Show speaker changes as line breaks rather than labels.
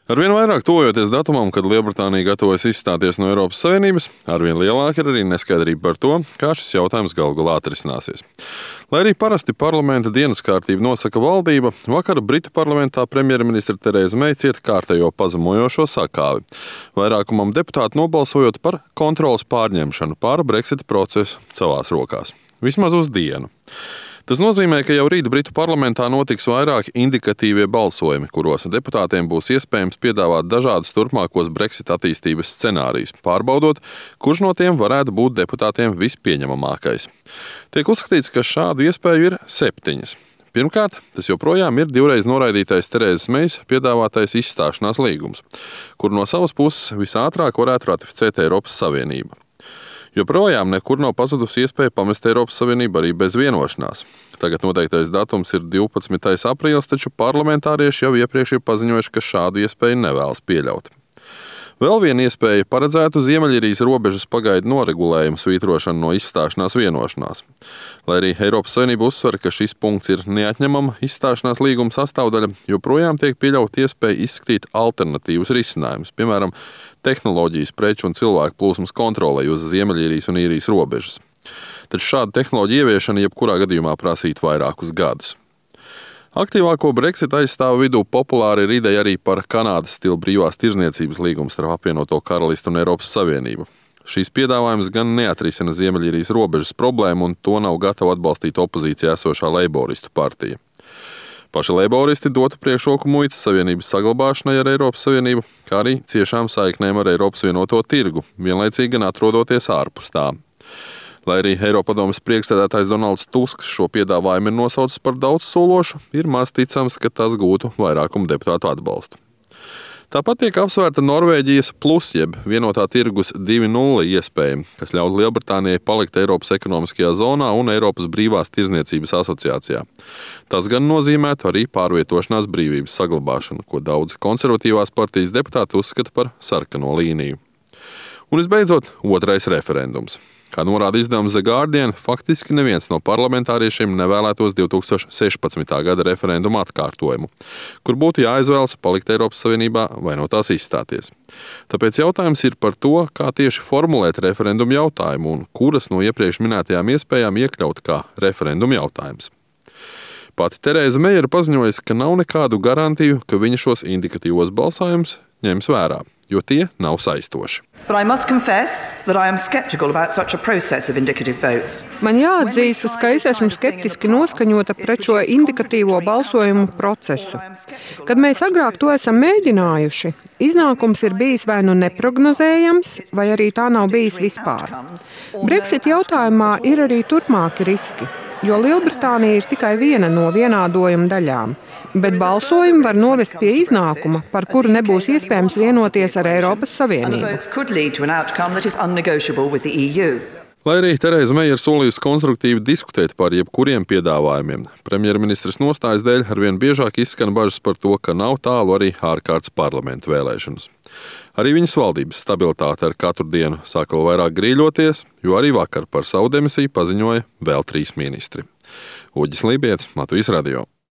Arvien vairāk tuvojoties datumam, kad Lielbritānija gatavojas izstāties no Eiropas Savienības, arvien lielāka ir arī neskaidrība par to, kā šis jautājums galu galā atrisināsies. Lai arī parasti parlamenta dienas kārtību nosaka valdība, vakar Britu parlamentā premjerministre Tereza Meija cieta kārtējo pazemojošo sakāvi, vairākumam deputātu nobalsojot par kontroles pārņemšanu pār Brexit procesu savās rokās. Vismaz uz dienu. Tas nozīmē, ka jau rīt Britu parlamentā notiks vairāki indikatīvie balsojumi, kuros deputātiem būs iespējams piedāvāt dažādus turpmākos Brexit attīstības scenārijus, pārbaudot, kurš no tiem varētu būt deputātiem vispieņemamākais. Tiek uzskatīts, ka šādu iespēju ir 7. Pirmkārt, tas joprojām ir divreiz noraidītais Terezas Meijas piedāvātais izstāšanās līgums, kur no savas puses visātrāk varētu ratificēt Eiropas Savienība. Joprojām nekur nav pazudusi iespēja pamest Eiropas Savienību arī bez vienošanās. Tagad noteiktais datums ir 12. aprīlis, taču parlamentārieši jau iepriekš ir paziņojuši, ka šādu iespēju nevēlas pieļaut. Vēl viena iespēja paredzētu Ziemeļīrijas robežas pagaidu noregulējumu svītrošanu no izstāšanās vienošanās. Lai arī Eiropas Savienība uzsver, ka šis punkts ir neatņemama izstāšanās līguma sastāvdaļa, joprojām tiek pieļaut iespēja izskatīt alternatīvus risinājumus, piemēram, tehnoloģijas, preču un cilvēku plūsmas kontrolei uz Ziemeļīrijas un Īrijas robežas. Taču šāda tehnoloģija ieviešana jebkurā gadījumā prasītu vairākus gadus. Aktīvāko Brexit aizstāvu vidū populāra ir ideja arī par Kanādas stila brīvās tirdzniecības līgumu starp apvienoto karalisti un Eiropas Savienību. Šīs piedāvājums gan neatrisina Ziemeļīrijas robežas problēmu, un to nav gatava atbalstīt opozīcijā esošā leiboristu partija. Paši leiboristi dotu priekšroku muitas savienības saglabāšanai ar Eiropas Savienību, kā arī ciešām saiknēm ar Eiropas vienoto tirgu, vienlaicīgi gan atrodoties ārpus tā. Lai arī Eiropadomes priekšsēdētājs Donalds Tusks šo piedāvājumu ir nosaucis par daudzsološu, ir maz ticams, ka tas gūtu vairākumu deputātu atbalstu. Tāpat tiek apsvērta Norvēģijas plus jeb vienotā tirgus 2.0 iespēja, kas ļautu Lielbritānijai palikt Eiropas ekonomiskajā zonā un Eiropas brīvās tirdzniecības asociācijā. Tas gan nozīmētu arī pārvietošanās brīvības saglabāšanu, ko daudzi konservatīvās partijas deputāti uzskata par sarkano līniju. Un visbeidzot, otrais referendums. Kā norāda izdevums The Guardian, faktiski neviens no parlamentāriešiem nevēlētos 2016. gada referenduma atkārtojumu, kur būtu jāizvēlas palikt Eiropas Savienībā vai no tās izstāties. Tāpēc jautājums ir par to, kā tieši formulēt referendumu jautājumu un kuras no iepriekš minētajām iespējām iekļaut kā referendumu jautājums. Pati Tereza Meija ir paziņojusi, ka nav nekādu garantiju, ka viņa šos indikatīvos balsojumus ņems vērā, jo tie nav saistoši.
Man jāatzīstas, ka es esmu skeptiski noskaņota pret šo indikatīvo balsojumu procesu. Kad mēs agrāk to esam mēģinājuši, iznākums ir bijis vai nu neprognozējams, vai arī tā nav bijis vispār. Brexit jautājumā ir arī turpmāki riski, jo Lielbritānija ir tikai viena no vienādojuma daļām, bet balsojumi var novest pie iznākuma, par kuru nebūs iespējams vienoties ar Eiropas Savienību.
Lai arī Tereza Meija ir solījusi konstruktīvi diskutēt par jebkuriem piedāvājumiem, premjerministres nostājas dēļ arvien biežāk izskan bažas par to, ka nav tālu arī ārkārtas parlamenta vēlēšanas. Arī viņas valdības stabilitāte ar katru dienu sāk vēl vairāk grīļoties, jo arī vakar par savu demisiju paziņoja vēl 3 ministri. Uģis Lībietis, Latvijas radio.